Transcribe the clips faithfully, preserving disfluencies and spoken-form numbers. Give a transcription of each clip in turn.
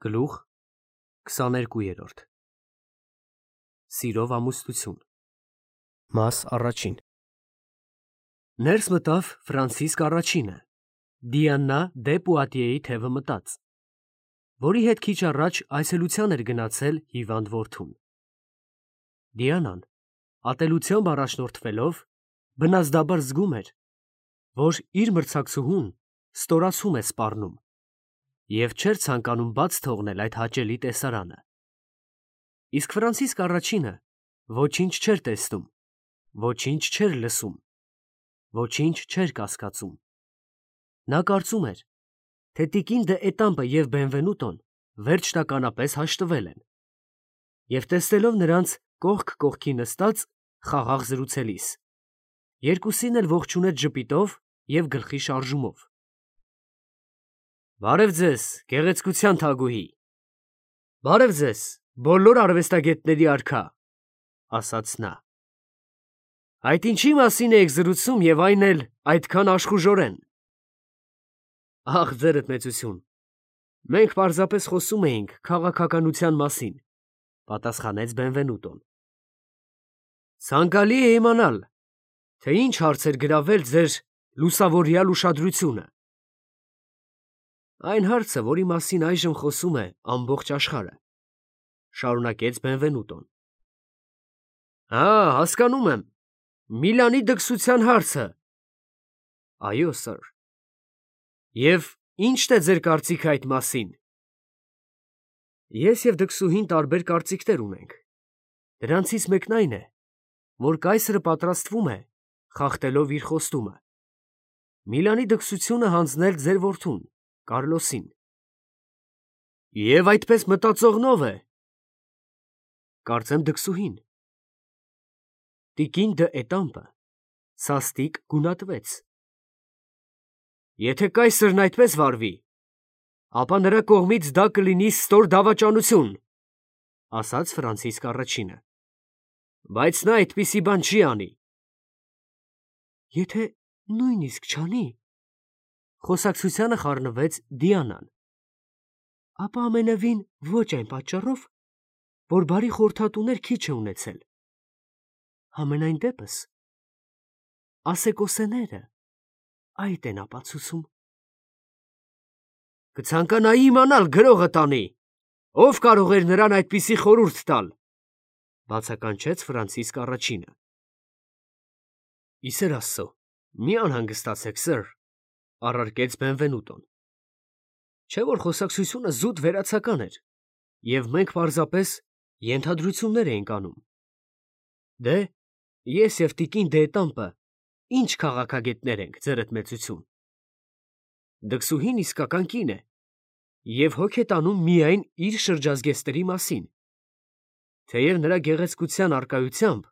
Գլուխ քսաներկու։ Սիրով ամուսնություն։ Մաս առաջին։ Ներս մտավ Ֆրանցիսկ առաջինը, Դիանա դե Պուատիեի թևը մտած, որի հետ քիչ առաջ այցելության էր գնացել հիվանդ որդուն։ Դիանան, ատելությամբ առաջնորդվելով, բնազդաբար զգում էր, որ իր մրցակցուհուն ստորացում է սպառնում և չէր ցանկանում բաց թողնել այդ հաճելի տեսարանը։ Իսկ Ֆրանցիսկ առաջինը ոչինչ չէր տեսնում, ոչինչ չէր լսում, ոչինչ չէր կասկածում։ Նա կարծում էր, թե տիկին դե Էտամպը և Բենվենուտոն վերջնականապես հաշտվել են, և տեսնելով նրանց կողք կողքի նստած խաղաղ զրուցելիս, երկուսին էլ ողջունեց ժպիտով և գլխի շարժումով։ «Բարև ձեզ, գեղեցկության թագուհի, բարև ձեզ, բոլոր արվեստագետների արքա», ֊ ասաց նա։ «Այդ ինչի մասին էիք զրուցում և այն էլ այդքան աշխուժորեն»։ «Ախ, ձերդ մեծություն, մենք պարզապես խոսում էինք քաղաքականության մասին», ֊ պատասխանեց Բենվենուտոն։ «Ցանկալի է իմանալ, թե ինչ հարց էր գրավել ձեր լուսավորյալ ուշադրությունը»։ «Այն հարցը, որի մասին այժմ խոսում է ամբողջ աշխարհը», ֊ շարունակեց Բենվենուտոն։ «Հա, հասկանում եմ, Միլանի դքսության հարցը»։ «Այո, սըր»։ «Եվ ի՞նչն է ձեր կարծիքը այդ մասին»։ «Ես և դքսուհին տարբեր կարծիքներ ունենք. դրանցից մեկն այն է, որ կայսրը պատրաստվում է, խախտելով իր խոստումը, Միլանի դքսությունը հանձնել ձեր որդուն Կարլոսին»։ «Եվ այդպես մտածողնո՞վ է»։ «Կարծեմ դքսուհին»։ Տիկին դը Էտամպը սաստիկ գունատվեց։ «Եթե կայսրն այդպես վարվի, ապա նրա կողմից դա կլինի ստոր դավաճանություն», ֊ ասաց Ֆրանցիսկ առաջինը։ «Բայց նա այդպիսի բան չի անի»։ «Եթե նույնիսկ չանի, ֊ խոսակցությանը խառնվեց Դիանան, ֊ ապա ամենևին ոչ այն պատճառով, որ բարի խորհրդատուներ քիչ է ունեցել։ Համենայն դեպս ասեկոսեները այդ են ապացուցում»։ «Կցանկանայի իմանալ գրողը տանի, ով կարող էր նրան այդպիսի խորհուրդ տալ», ֊ բացականչեց Ֆրանցիսկ առաջինը։ «Ի սեր Աստծո, մի անհանգստացեք, սըր», ֊ առարկեց Բենվենուտոն։ «Չէ՞ որ խոսակցությունը զուտ վերացական էր, և մենք պարզապես ենթադրություններ էինք անում։ Դե, ես և տիկին դե Էտամպը ի՞նչ քաղաքագետներ ենք, ձերդ մեծություն։ Դքսուհին իսկական կին է և հոգ է տանում միայն իր շրջազգեստների մասին, թեև նրա գեղեցկության առկայությամբ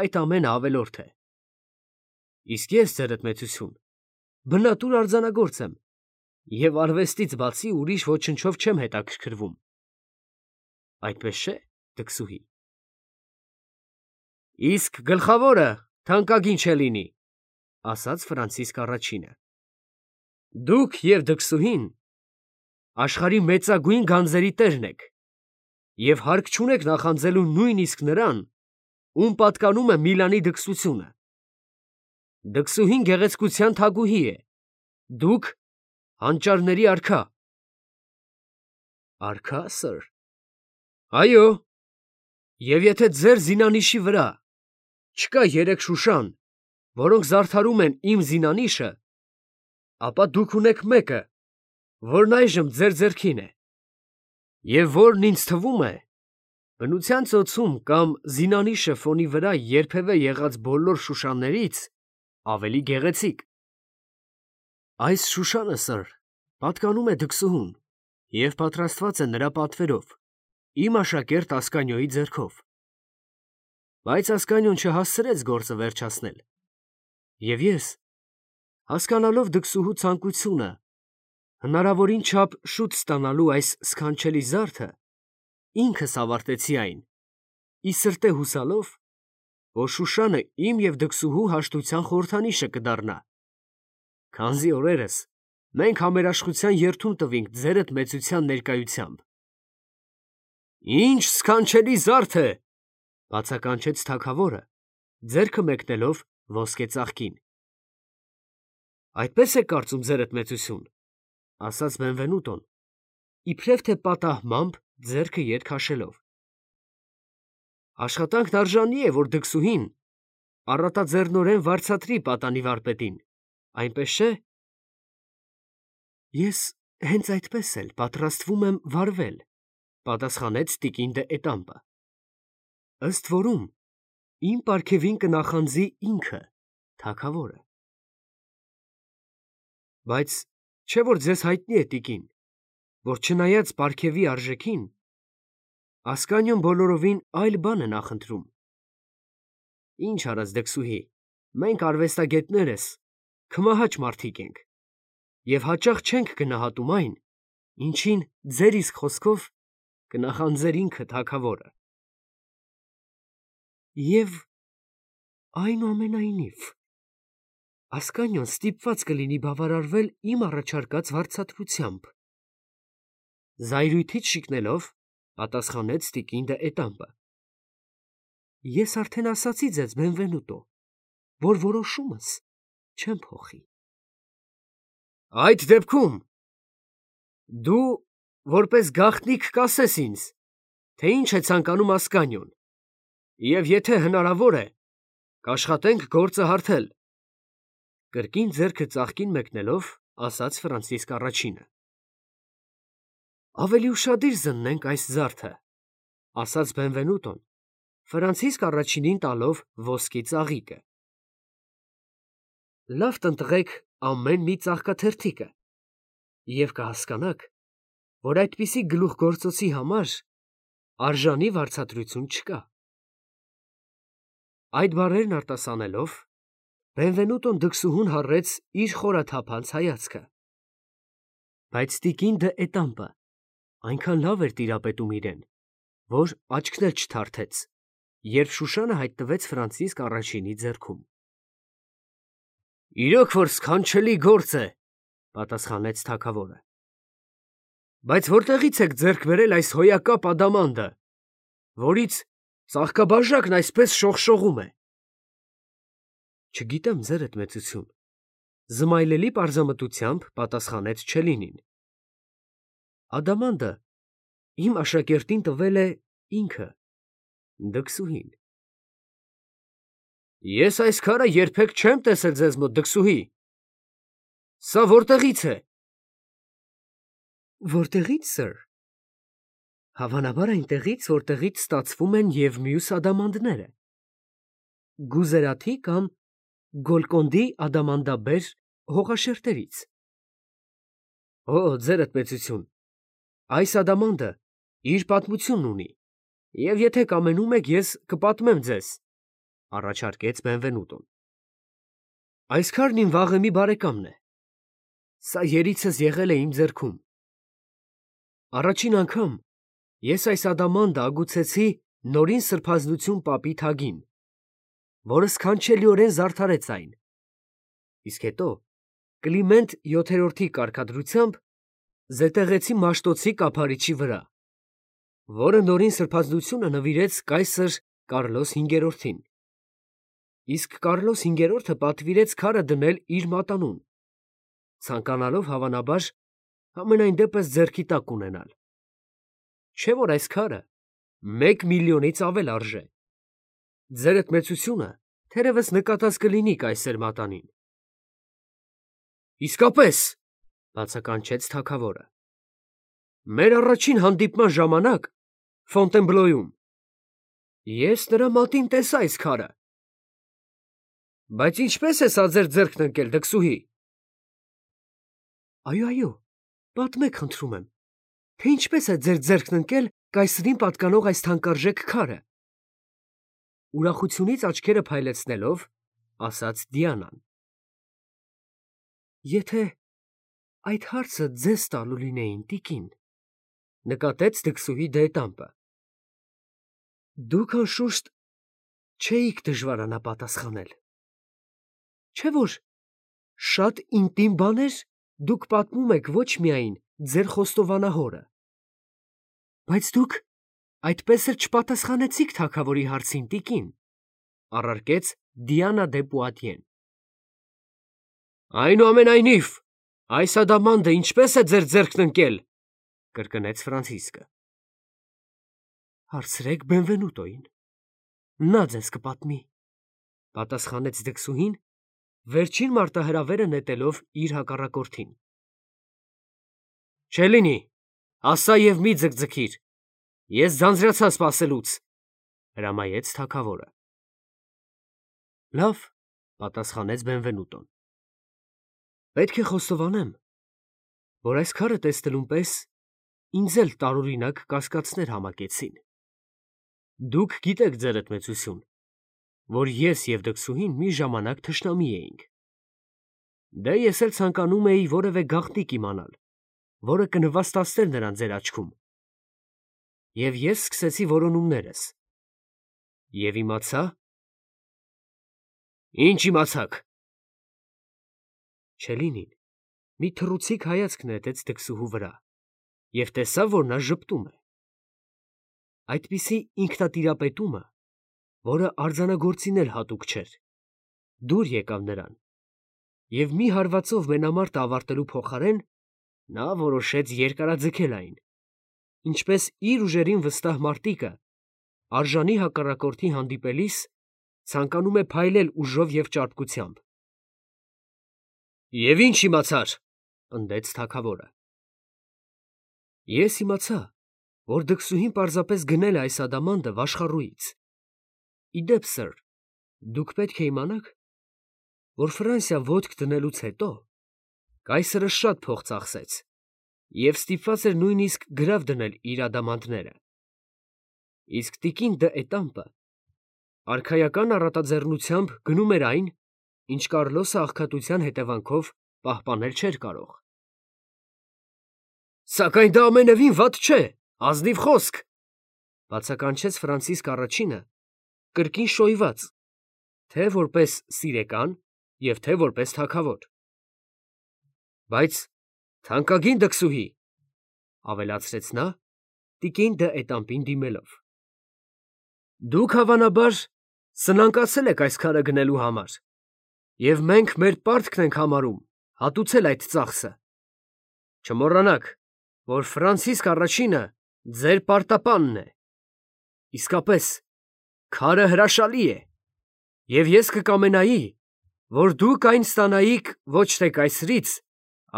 այդ ամենը ավելորդ է։ Իսկ ես, ձերդ մեծություն, բնատուր արձանագործ եմ և արվեստից բացի ուրիշ ոչնչով չեմ հետաքրքրվում։ Այդպես չէ՞, դքսուհի։ «Իսկ գլխավորը թանկագին չէ լինի», ֊ ասաց Ֆրանցիսկ առաջինը։ «Դուք և դքսուհին աշխարհի մեծագույն գանձերի տերն եք և հարկ չունեք նախանձելու նույնիսկ նրան, ում պատկանում է Միլանի դքսությունը։ Դքսուհին գեղեցկության թագուհի է, դուք հանճարների արքա»։ «Արքա, սըր»։ «Այո, և եթե ձեր զինանիշի վրա չկա երեք շուշան, որոնք զարդարում են իմ զինանիշը, ապա դուք ունեք մեկը, որն այժմ ձեր ձեռքին է, և որն ինձ թվում է բնության ծոցում կամ զինանիշը ֆոնի վրա երբևէ եղած բոլոր շուշաներից ավելի գեղեցիկ»։ «Այս շուշանը, սըր, պատկանում է դքսուհուն և պատրաստված է նրա պատվերով, իմ աշակերտ Ասկանիոյի ձեռքով։ Բայց Ասկանիոն չհասցրեց գործը վերջացնել, և ես, հասկանալով դքսուհու ցանկությունը հնարավորին չափ շուտ ստանալու այս սքանչելի զարդը, ինքս ավարտեցի այն, ի սրտե հուսալով, որ շուշանը իմ և դքսուհու հաշտության խորհրդանիշը կդառնա, քանզի օրերս մենք համերաշխության երդում տվինք ձերդ մեծության ներկայությամբ»։ Ինչ սքանչելի զարդ է, բացականչեց թագավորը, ձեռքը մեկնելով ոսկե ծաղկին։ Այդպես է կարծում ձերդ մեծություն, ասաց Բենվենուտոն, իբրև թե պատահմամբ ձեռքը ետ քաշելով։ Աշխատանքն արժանի է, որ դքսուհին առատաձեռնորեն վարձատրի պատանի վարպետին, այնպես չէ։ Ես հենց այդպես էլ պատրաստվում եմ վարվել, պատասխանեց տիկին դե Էտամպը։ Ըստ որում իմ պարգևին կնախանձի ինքը, թագավորը։ Բայց չէ որ ձեզ հայտնի է տիկին, որ չնայած պարգևի արժեքին, Ասկանիոն բոլորովին այլ բան է նախընտրում։ Ինչ արած դքսուհի, մենք արվեստագետներս քմահաճ մարդիկ ենք, և հաճախ չենք գնահատում այն, ինչին ձեր իսկ խոսքով կնախանձեր ինքը թագավորը։ Եվ այնուամենայնիվ Ասկանիոն ստիպված կլինի բավարարվել իմ առաջարկած վարձատրությամբ։ Զայրույթից շիկնելով, պատասխանեց տիկին դե Էտամպը։ Ես արդեն ասացի ձեզ, Բենվենուտո, որ որոշումս չեմ փոխի։ Այդ դեպքում դու որպես գաղտնիք կասես ինձ, թե ինչ է ցանկանում Ասկանիոն, և եթե հնարավոր է, կաշխատենք գործը հարթել, կրկին ձեռքը ծաղկին մեկնելով, ասաց Ֆրանցիսկ առաջինը։ Ավելի ուշադիր զննենք այս զարդը, ասաց Բենվենուտոն, Ֆրանցիսկ առաջինին տալով ոսկի ծաղիկը։ Լավ տնտղեք ամեն մի ծաղկաթերթիկը, և կհասկանաք, որ այդպիսի գլուխգործոցի համար արժանի վարձատրություն չկա։ Այդ բառերն արտասանելով, Բենվենուտոն դքսուհուն հառեց իր խորաթափանց հայացքը։ Բայց տիկին դե Էտամպը այնքան լավ էր տիրապետում իրեն, որ աչքն էլ չթարթեց, երբ Շուշանը հայտնվեց Ֆրանցիսկ առաջինի ձեռքում։ Իրոք որ սքանչելի գործ է, պատասխանեց թագավորը։ Բայց որտեղից եք ձեռք բերել այս հոյակապ ադամանդը, որից ծաղկաբաժակն այսպես շողշողում է։ Չգիտեմ, ձերդ մեծություն, զմայլելի պարզամտությամբ պատասխանեց Չելինին։ Ադամանդը իմ աշակերտին տվել է ինքը, դքսուհին։ Ես այս քարը երբեք չեմ տեսել ձեզ մոտ, դքսուհի։ Սա որտեղից է։ Որտեղից, սըր։ Հավանաբար այնտեղից, որտեղից ստացվում են և մյուս ադամանդները։ Գուզերաթի կամ Գոլկոնդի ադամանդաբեր հողաշերտերից։ Օ, ձերդ մեծություն, այս ադամանդը իր պատմությունն ունի, և եթե կամենում եք, ես կպատմեմ ձեզ, առաջարկեց Բենվենուտոն։ Այս քարն իմ վաղեմի բարեկամն է։ Սա երիցս եղել է իմ ձեռքում։ Առաջին անգամ ես այս ադամանդը ագուցեցի Նորին Սրբազնություն պապի թագին, որը սքանչելիորեն զարդարեց այն։ Իսկ հետո Կլիմենտ յոթերորդի կարգադրությամբ զետեղեցի Մաշտոցի կափարիչի վրա, որը Նորին Սրբազնությունը նվիրեց կայսր Կարլոս հինգերորդին։ Իսկ Կարլոս հինգերորդը պատվիրեց քարը դնել իր մատանուն, ցանկանալով հավանաբար համենայն դեպս ձեռքի տակ ունենալ։ Չէ որ այս քարը մեկ միլիոնից ավել արժե։ Ձերդ մեծությունը թերևս նկատած կլինի կայսեր մատանին։ Իսկապես, բացականչեց թագավորը։ Մեր առաջին հանդիպման ժամանակ Ֆոնտենբլոյում ես նրա մատին տեսա այս քարը։ Բայց ինչպես է սա ձեր ձեռքն ընկել, դքսուհի։ Այո, այո, պատմեք, խնդրում եմ, թե ինչպես է ձեր ձեռքն ընկել կայսրին պատկանող այս թանկարժեք քարը։ Ուրախությունից աչքերը փայլեցնելով, ասաց Դիանան։ Եթե այդ հարցը ձեզ տալու լինեին, տիկին, նկատեց դքսուհի դե Էտամպը, դուք անշուշտ չէիք դժվարանա պատասխանել։ Չէ որ շատ ինտիմ բաներ դուք պատմում եք ոչ միայն ձեր խոստովանահորը, բայց դուք այդպես էլ չպատասխանեցիք թագավորի հարցին, տիկին, առարկեց Դիանա դե Պուատիեն։ Այնուամենայնիվ, այս ադամանդը ինչպես է ձեր ձեռքն ընկել, կրկնեց Ֆրանցիսկը։ Հարցրեք Բենվենուտոին, նա ձեզ կպատմի, պատասխանեց դքսուհին, վերջին մարտահրավերը նետելով իր հակառակորդին։ Չելինի, ասա և մի ձգձգիր, ես ձանձրացա սպասելուց, հրամայեց թագավորը։ Լավ, պատասխանեց Բենվենուտոն։ Պետք է խոստովանեմ, որ այս քարը տեսնելուն պես ինձ էլ տարօրինակ կասկածներ համակեցին։ Դուք գիտեք, ձերդ մեծություն, որ ես և դքսուհին մի ժամանակ թշնամի էինք։ Դե ես էլ ցանկանում էի որևէ գաղտնիք իմանալ, որը կնվաստացներ նրան ձեր աչքում։ Եվ ես սկսեցի որոնումներս։ Եվ իմացա… Ինչ իմացաք։ Չելինին մի թռուցիկ հայացք նետեց դքսուհու վրա և տեսավ, որ նա ժպտում է։ Այդպիսի ինքնատիրապետումը, որը արձանագործին էլ հատուկ չէր, դուր եկավ նրան, և մի հարվածով մենամարտը ավարտելու փոխարեն նա որոշեց երկարաձգել այն, ինչպես իր ուժերին վստահ մարտիկը արժանի հակառակորդի հանդիպելիս ցանկանում է փայլել ուժով և ճարպկությամբ։ Եվ ինչ իմացար, պնդեց թագավորը։ Ես իմացա, որ դքսուհին պարզապես գնել է այս ադամանդը վաշխառուից։ Իդեպ, սըր, դուք պետք է իմանաք, որ Ֆրանսիա ոտք դնելուց հետո կայսրը շատ փող ծախսեց և ստիպված էր նույնիսկ գրավ դնել իր ադամանդները։ Իսկ տիկին դը Էտամպը արքայական առատաձեռնությամբ գնում էր այն, ինչ Կարլոսը աղքատության հետևանքով պահպանել չէր կարող։ Սակայն դա ամենևին վատ չէ, ազնիվ խոսք, բացականչեց Ֆրանցիսկ առաջինը, կրկին շոյված, թե որպես սիրեկան և թե որպես թագավոր։ Բայց թանկագին դքսուհի, ավելացրեց նա, տիկին դը Էտամպին դիմելով, դուք հավանաբար սնանկացել եք այս քարը գնելու համար, և մենք մեր պարտքն ենք համարում հատուցել այդ ծախսը։ Չմոռանաք, որ Ֆրանցիսկ առաջինը ձեր պարտապանն է։ Իսկապես, քարը հրաշալի է, և ես կկամենայի, որ դուք այն ստանայիք ոչ թե կայսրից,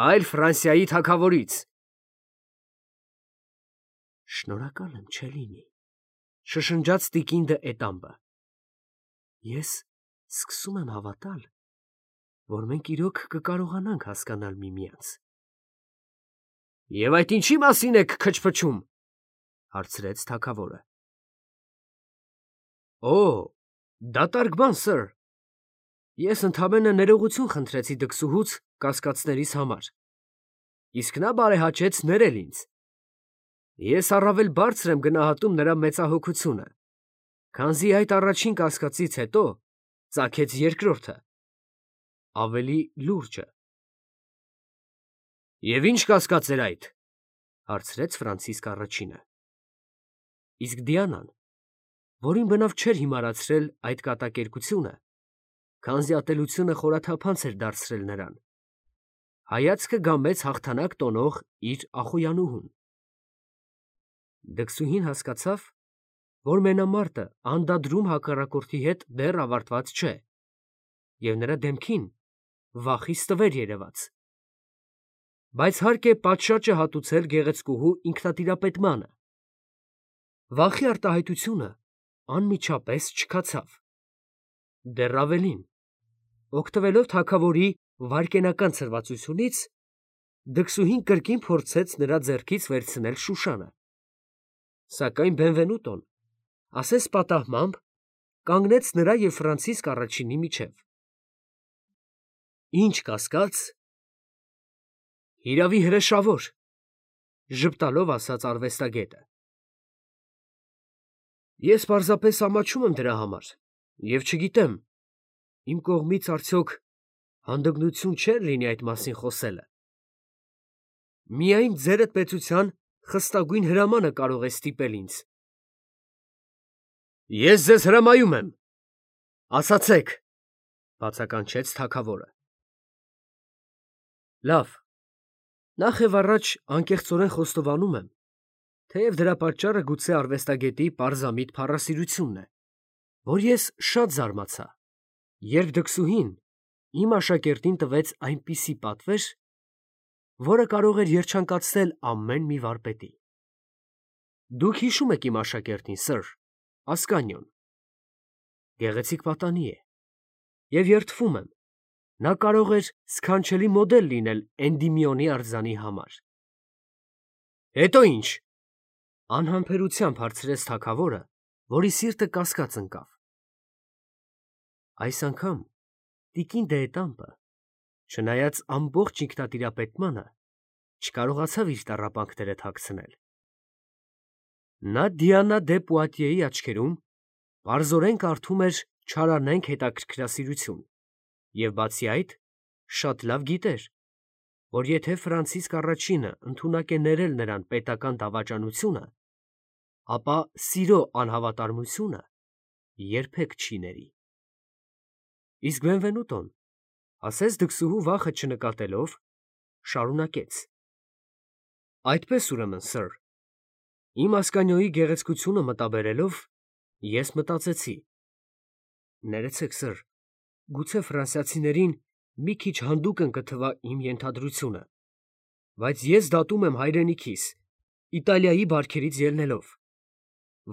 այլ Ֆրանսիայի թագավորից։ Շնորհակալ եմ, Չելինի, շշնջաց տիկին դը Էտամպը։ Ես սկսում եմ հավատալ, որ մենք իրոք կկարողանանք հասկանալ միմյանց։ Եվ այդ ինչի մասին եք քչփչում, հարցրեց թագավորը։ Օ, դատարկ բան, սըր, ես ընդամենը ներողություն խնդրեցի դքսուհուց կասկածներիս համար, իսկ նա բարեհաճեց ներել ինձ։ Ես առավել բարձր եմ գնահատում նրա մեծահոգությունը, քանզի այդ առաջին կասկածից հետո ծագեց երկրորդը, ավելի լուրջը։ Եվ ինչ կասկած էր այդ, հարցրեց Ֆրանցիսկ առաջինը։ Իսկ Դիանան, որին բնավ չէր հիմարացրել այդ կատակերգությունը, քանզի ատելությունը խորաթափանց էր դարձրել նրան, հայացքը գամեց հաղթանակ տոնող իր ախոյանուհուն։ Դքսուհին հասկացավ, որ մենամարտը անդադրում հակառակորդի հետ դեռ ավարտված չէ, և նրա դեմքին վախից տվեր երևաց։ Բայց հարկ է պատշաճը հատուցել գեղեցկուհու ինքնատիրապետմանը։ Վախի արտահայտությունը անմիջապես չքացավ։ Դեռ ավելին, օգտվելով թագավորի վայրկենական ցրվածությունից, դքսուհին կրկին փորձեց նրա ձեռքից վերցնել շուշանը։ Սակայն Բենվենուտոն, ասես պատահմամբ, կանգնեց նրա և Ֆրանցիսկ առաջինի միջև։ Ինչ կասկած, հիրավի հրեշավոր, ժպտալով ասաց արվեստագետը։ Ես պարզապես ամաչում եմ դրա համար և չգիտեմ, իմ կողմից արդյոք հանդգնություն չէր լինի այդ մասին խոսելը։ Միայն ձերդ պետության խստագույն հրամանը կարող է ստիպել ինձ Ես ձեզ հրամայում եմ, ասացեք, բացականչեց թագավորը։ Լավ, նախ եւ առաջ անկեղծորեն խոստովանում եմ, թեև դրա պատճառը գուցե արվեստագետի պարզամիտ փառասիրությունն է, որ ես շատ զարմացա, երբ դքսուհին իմ աշակերտին տվեց այնպիսի պատվեր, որը կարող էր երջանկացնել ամեն մի վարպետի։ Դուք հիշում եք իմ աշակերտին, սըր, Ասկանիոն։ Գեղեցիկ պատանի է, եւ երդվում եմ, նա կարող էր սքանչելի մոդել լինել Էնդիմիոնի արձանի համար։ Հետո ինչ, անհամբերությամբ հարցրեց թագավորը, որի սիրտը կասկած ընկավ։ Այս անգամ տիկին Դեետամպը, չնայած ամբողջ ինքնատիրապետմանը, չկարողացավ իր տառապանքները թաքցնել։ Նա Դիանա դե Պուատիեի աչքերում պարզորեն կարդում էր չարանենգ հետաքրքրասիրություն և բացի այդ շատ լավ գիտեր, որ եթե Ֆրանցիսկ առաջինը ընդունակ է ներել նրան պետական դավաճանությունը, ապա սիրո անհավատարմությունը երբեք չի ների։ Իսկ Բենվենուտոն, ասես դքսուհու վախը չնկատելով, շարունակեց. Այդպես ուրեմն, սըր, իմ Ասկանիոյի գեղեցկությունը մտաբերելով, ես մտածեցի. ներեցեք, սըր, գուցե ֆրանսիացիներին մի քիչ հանդուգն կթվա իմ ենթադրությունը, բայց ես դատում եմ հայրենիքիս, Իտալիայի բարքերից ելնելով,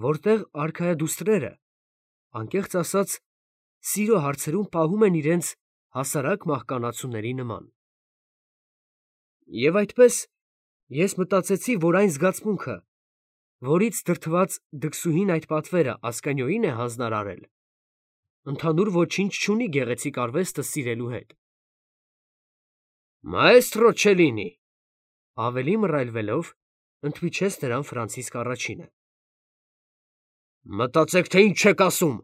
որտեղ արքայադուստրերը, անկեղծ ասած, սիրո հարցերում պահում են իրենց հասարակ մահկանացուների նման։ Եվ այդպես ես մտածեցի, որ այն զգացմունքը, որից դրդված դքսուհին այդ պատվերը Ասկանիոյին է հանձնարարել, ընդհանուր ոչինչ չունի գեղեցիկ արվեստը սիրելու հետ։ Մաեստրո Չելինի, ավելի մռայլվելով, ընդմիջեց նրան Ֆրանցիսկ առաջինը։ Մտածեք, թե ինչ եք ասում։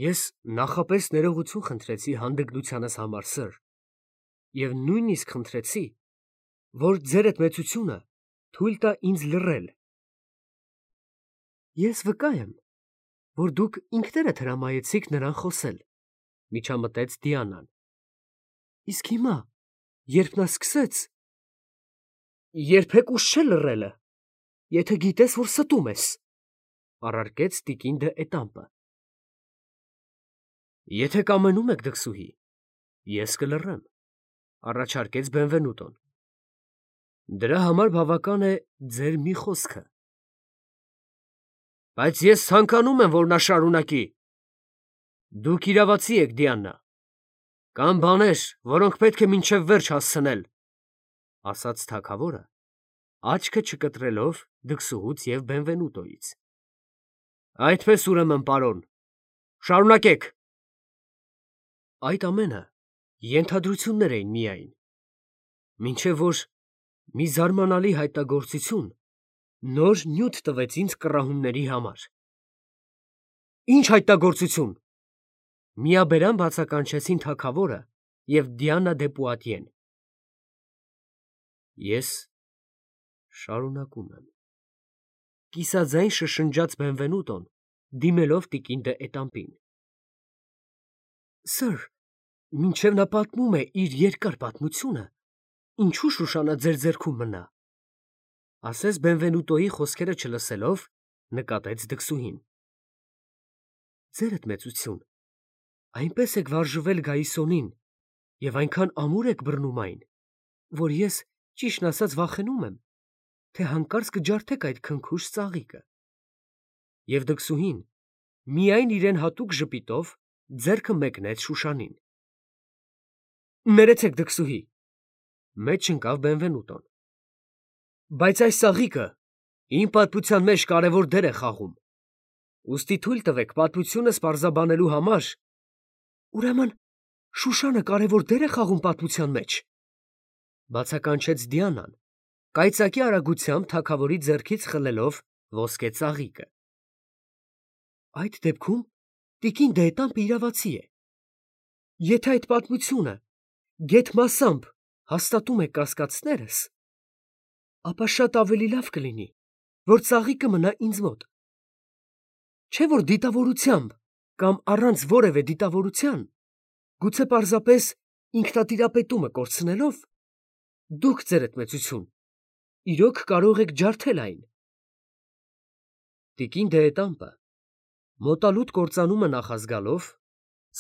Ես նախապես ներողություն խնդրեցի հանդգնությանս համար, սըր, և նույնիսկ խնդրեցի, որ ձերդ մեծությունը թույլ տա ինձ լռել։ Ես վկա եմ, որ դուք ինքներդ հրամայեցիք նրան խոսել, միջամտեց Դիանան։ Իսկ հիմա, երբ նա սկսեց, երբեք ուժ չէ լռելը, եթե գիտես, որ ստում ես, առարկեց տիկին դե Էտամպը։ Եթե կամենում եք, դքսուհի, ես կլռեմ, առաջարկեց Բենվենուտոն։ Դրա համար բավական է ձեր մի խոսքը։ Բայց ես ցանկանում եմ, որ նա շարունակի։ Դուք իրավացի եք, Դիանա, կան բաներ, որոնք պետք է մինչև վերջ հասցնել, ասաց թագավորը, աչքը չկտրելով դքսուհուց և Բենվենուտոյից։ Այդպես ուրեմն, պարոն, շարունակեք։ Այդ ամենը ենթադրություններ էին միայն, մինչև որ մի զարմանալի հայտնագործություն նոր նյութ տվեց ինձ կռահումների համար։ Ինչ հայտնագործություն, միաբերան բացականչեցին թագավորը և Դիանա դե Պուատիեն։ Ես շարունակում եմ, կիսաձայն շշնջաց Բենվենուտոն, դիմելով տիկին դե Էտամպին։ Սըր, մինչև նա պատմում է իր երկար պատմությունը, ինչու Շուշանա ձեր ձեռքում մնա, ասես Բենվենուտոյի խոսքերը չլսելով, նկատեց դքսուհին։ Ձերդ մեծություն, այնպես եք վարժվել Գայիսոնին և այնքան ամուր եք բռնում այն, որ ես, ճիշտն ասած, վախենում եմ, թե հանկարծ կջարդեք այդ քնքուշ ծաղիկը։ Եվ դքսուհին միայն իրեն հատուկ ժպիտով ձեռքը մեկնեց Շուշանին։ Ներեցեք, դքսուհի, մեջ ընկավ Բենվենուտոն։ Բայց այս ծաղիկը իմ պատմության մեջ կարևոր դեր է խաղում, ուստի թույլ տվեք պատմությունս պարզաբանելու համար։ Ուրեմն Շուշանը կարևոր դեր է խաղում պատմության մեջ, բացականչեց Դիանան, կայծակի արագությամբ թագավորի ձեռքից խլելով ոսկե ծաղիկը։ Այդ դեպքում տիկին դե Էտամպը իրավացի է։ Եթե այդ պատմությունը գեթ մասամբ հաստատում է կասկածներս, ապա շատ ավելի լավ կլինի, որ ծաղիկը մնա ինձ մոտ։ Չէ՞ որ դիտավորությամբ կամ առանց որևէ դիտավորության, գուցե պարզապես ինքնատիրապետումը կորցնելով, դուք ձերդ մեծություն, իրոք կարող եք ջարդել այն։ Տիկին դեետամպը, մոտալուտ կործանումը նախազգալով,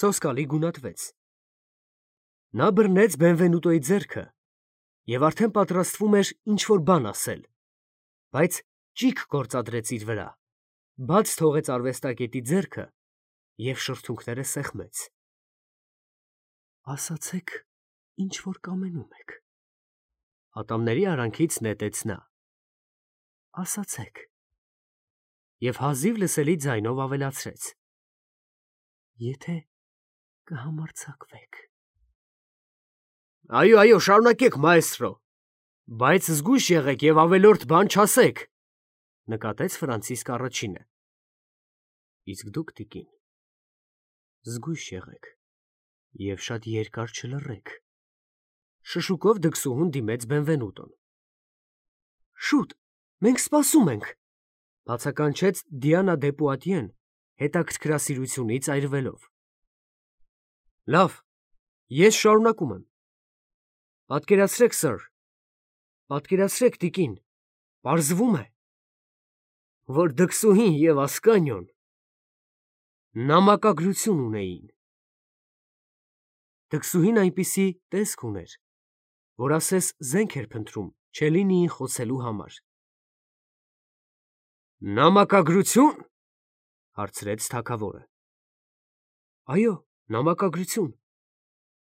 սոսկալի գունատվեց։ Նա բռնեց Բենվենուտոյի ձեռքը և արդեն պատրաստվում էր ինչ-որ բան ասել, բայց ճիգ գործադրեց իր վրա, բաց թողեց արվեստագետի ձեռքը և շրթունքները սեղմեց։ Ասացեք, ինչ որ կամենում եք, ատամների արանքից նետեց նա։ Ասացեք։ Եվ հազիվ լսելի ձայնով ավելացրեց. Եթե կհամարձակվեք։ Այո, այո, շարունակեք, մաեստրո, բայց զգույշ եղեք և ավելորդ բան չասեք, նկատեց Ֆրանցիսկ առաջինը։ Իսկ դուք, տիկին, զգույշ եղեք և շատ երկար չլռեք, շշուկով դքսուհուն դիմեց Բենվենուտոն։ Շուտ, մենք սպասում ենք, բացականչեց Դիանա դե Պուատիեն հետաքրքրասիրությունից այրվելով։ Լավ, ես շարունակում եմ։ Պատկերացրեք, սըր, պատկերացրեք, տիկին, պարզվում է, որ դքսուհին և Ասկանիոն նամակագրություն ունեին։ Դքսուհին այնպիսի տեսք ուներ, որ ասես զենք էր փնտրում Չելլինիին խոցելու համար։ Նամակագրությո՞ւն, հարցրեց թագավորը։ Այո, նամակագրություն,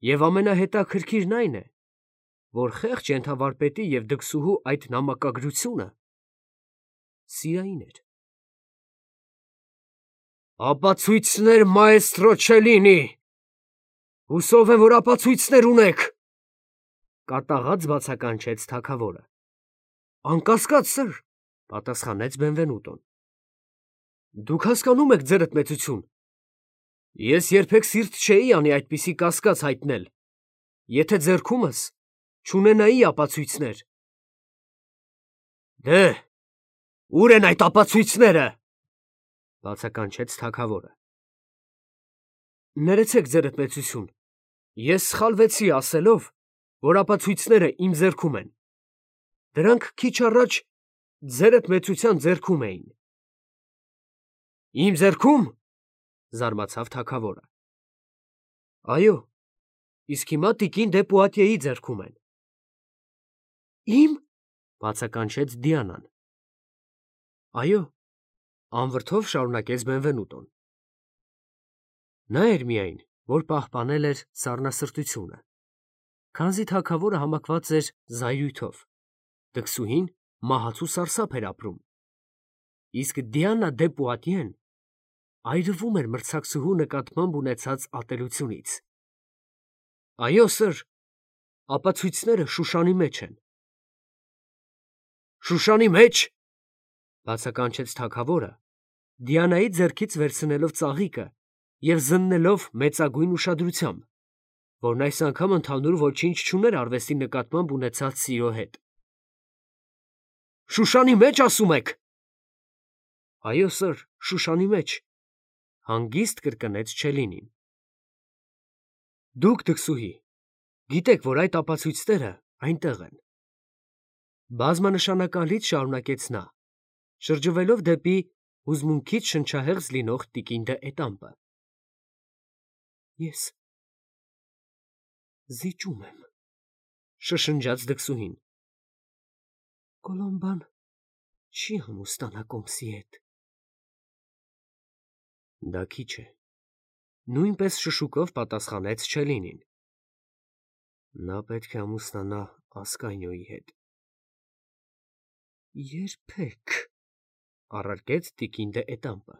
և ամենահետաքրքիրն այն է, որ խեղճ ենթավարպետի և դքսուհու այդ նամակագրությունը սիրային էր։ Ապացույցներ, մաեստրո Չելլինի, հուսով եմ, որ ապացույցներ ունեք, կատաղած բացականչեց թագավորը։ Անկասկած, սըր, պատասխանեց Բենվենուտոն։ Դուք հասկանում եք, ձերդ մեծություն, ես երբեք սիրտ չէի անի այդպիսի կասկած հայտնել, եթե ձեռքումս չունենայի ապացույցներ։ Դե, ո՞ւր են այդ ապացույցները, բացականչեց թագավորը։ Ներեցեք, ձերդ մեծություն, ես սխալվեցի ասելով, որ ապացույցները իմ ձեռքում են, դրանք քիչ առաջ ձերդ մեծության ձեռքում էին։ Իմ ձեռքո՞ւմ, զարմացավ թագավորը։ Այո, իսկ հիմա տիկին դե Պուատիեի ձեռքում են։ Իմ, բացականչեց Դիանան։ Այո, անվրդով շարունակեց Բենվենուտոն։ Նա էր միայն, որ պահպանել էր սառնասրտությունը, քանզի թագավորը համակված էր զայրույթով, դքսուհին մահացու սարսափ էր ապրում, իսկ Դիանա դե Պուատիեն այրվում էր մրցակցուհու նկատմամբ ունեցած ատելությունից։ Այո, սըր, ապացույցները Շուշանի մեջ են։ Շուշանի մեջ, բացականչեց թագավորը, Դիանայի ձեռքից վերցնելով ծաղիկը և զննելով մեծագույն ուշադրությամբ, որն այս անգամ ընդհանուր ոչինչ չուներ արվեստի նկատմամբ ունեցած սիրո հետ։ Շուշանի մեջ, ասում եք։ Այո, սըր, Շուշանի մեջ, հանգիստ կրկնեց Չելլինին։ Դուք, դքսուհի, գիտեք, որ այդ ապացույցները այնտեղ են։ Բազմանշանակալից շարունակեց նա, շրջվելով դեպի հուզմունքից շնչահեղձ լինող տիկին դե Էտամպը։ Ես զիջում եմ, շշնջաց դքսուհին։ Կոլոմբան չի ամուսնանա Կոմսի հետ։ Դա քիչ է, նույնպես շշուկով պատասխանեց Չելլինին։ Նա պետք է ամուսնանա Ասկանիոյի հետ։ Երբեք, առարկեց տիկին դե Էտամպը։